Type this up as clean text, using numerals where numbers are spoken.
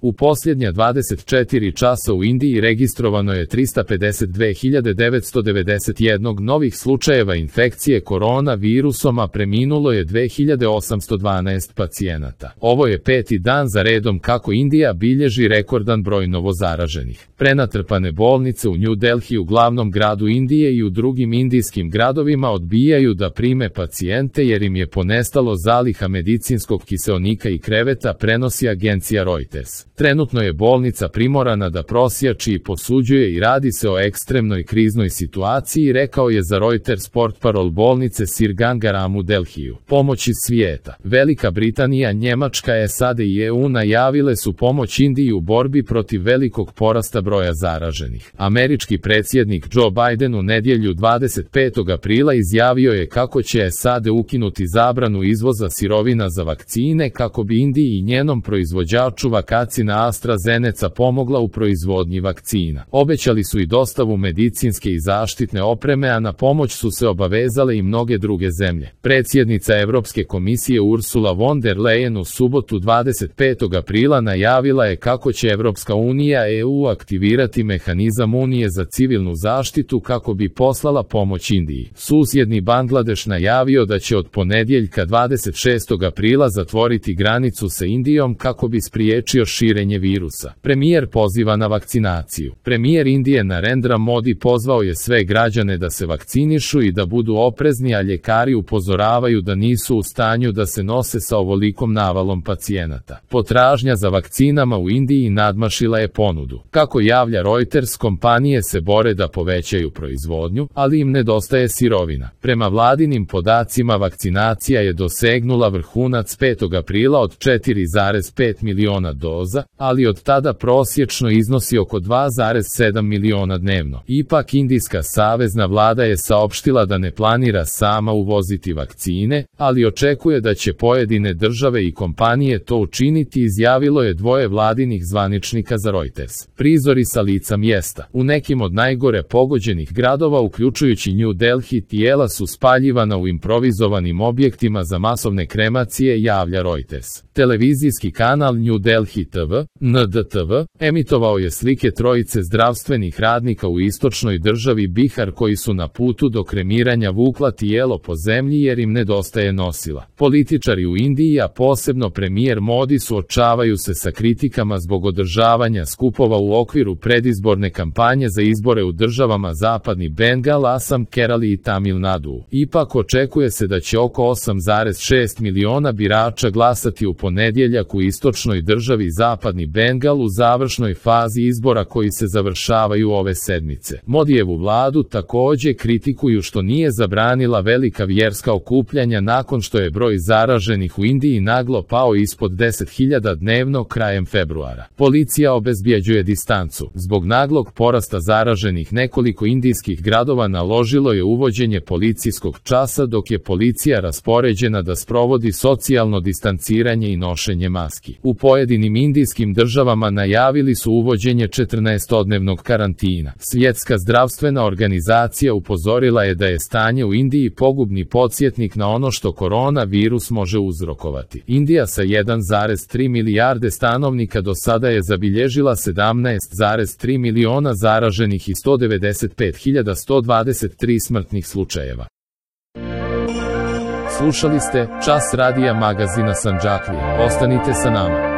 U posljednja 24 časa u Indiji registrovano je 352.991 novih slučajeva infekcije koronavirusom, a preminulo je 2.812 pacijenata. Ovo je 5. dan za redom kako Indija bilježi rekordan broj novozaraženih. Prenatrpane bolnice u New Delhi, u glavnom gradu Indije, i u drugim indijskim gradovima odbijaju da prime pacijente jer im je ponestalo zaliha medicinskog kiseonika i kreveta, prenosi agencija Reuters. Trenutno je bolnica primorana da prosjači i posuđuje i radi se o ekstremnoj kriznoj situaciji, rekao je za Reuters portparol bolnice Sir Ganga Ram u Delhiju. Pomoć iz svijeta. Velika Britanija, Njemačka, SAD i EU najavile su pomoć Indiji u borbi protiv velikog porasta broja zaraženih. Američki predsjednik Joe Biden u nedjelju 25. aprila izjavio je kako će SAD ukinuti zabranu izvoza sirovina za vakcine kako bi Indiji i njenom proizvođaču vakcina AstraZeneca pomogla u proizvodnji vakcina. Obećali su i dostavu medicinske i zaštitne opreme, a na pomoć su se obavezale i mnoge druge zemlje. Predsjednica Europske komisije Ursula von der Leyen u subotu 25. aprila najavila je kako će Europska unija EU aktivirati mehanizam Unije za civilnu zaštitu kako bi poslala pomoć Indiji. Susjedni Bangladeš najavio da će od ponedjeljka 26. aprila zatvoriti granicu sa Indijom kako bi spriječio širenje virusa. Premijer poziva na vakcinaciju. Premijer Indije Narendra Modi pozvao je sve građane da se vakcinišu i da budu oprezni, a ljekari upozoravaju da nisu u stanju da se nose sa ovolikom navalom pacijenata. Potražnja za vakcinama u Indiji nadmašila je ponudu. Kako javlja Reuters, kompanije se bore da povećaju proizvodnju, ali im nedostaje sirovina. Prema vladinim podacima, vakcinacija je dosegnula vrhunac 5. aprila od 4,5 miliona doza, ali od tada prosječno iznosi oko 2,7 miliona dnevno. Ipak, indijska savezna vlada je saopštila da ne planira sama uvoziti vakcine, ali očekuje da će pojedine države i kompanije to učiniti, izjavilo je dvoje vladinih zvaničnika za Reuters. Prizori sa lica mjesta. U nekim od najgore pogođenih gradova, uključujući New Delhi, tijela su spaljivana u improvizovanim objektima za masovne kremacije, javlja Reuters. Televizijski kanal New Delhi TV, NDTV, emitovao je slike trojice zdravstvenih radnika u istočnoj državi Bihar koji su na putu do kremiranja vukla tijelo po zemlji jer im nedostaje nosila. Političari u Indiji, a posebno premijer Modi, suočavaju se sa kritikama zbog održavanja skupova u okviru predizborne kampanje za izbore u državama Zapadni Bengal, Asam, Kerali i Tamil Nadu. Ipak očekuje se da će oko 8,6 miliona birača glasati u ponedjeljak u istočnoj državi Zapadni Bengal u završnoj fazi izbora koji se završavaju ove sedmice. Modijevu vladu također kritikuju što nije zabranila velika vjerska okupljanja nakon što je broj zaraženih u Indiji naglo pao ispod 10.000 dnevno krajem februara. Policija obezbjeđuje distancu. Zbog naglog porasta zaraženih, nekoliko indijskih gradova naložilo je uvođenje policijskog časa, dok je policija raspoređena da sprovodi socijalno distanciranje i nošenje maski. U pojedinim indijskim državama najavili su uvođenje 14-dnevnog karantina. Svjetska zdravstvena organizacija upozorila je da je stanje u Indiji pogubni podsjetnik na ono što koronavirus može uzrokovati. Indija sa 1,3 milijarde stanovnika do sada je zabilježila 17,3 miliona zaraženih i 195.123 smrtnih slučajeva. Slušali ste Čas radija magazina Sandžaklije. Ostanite sa nama.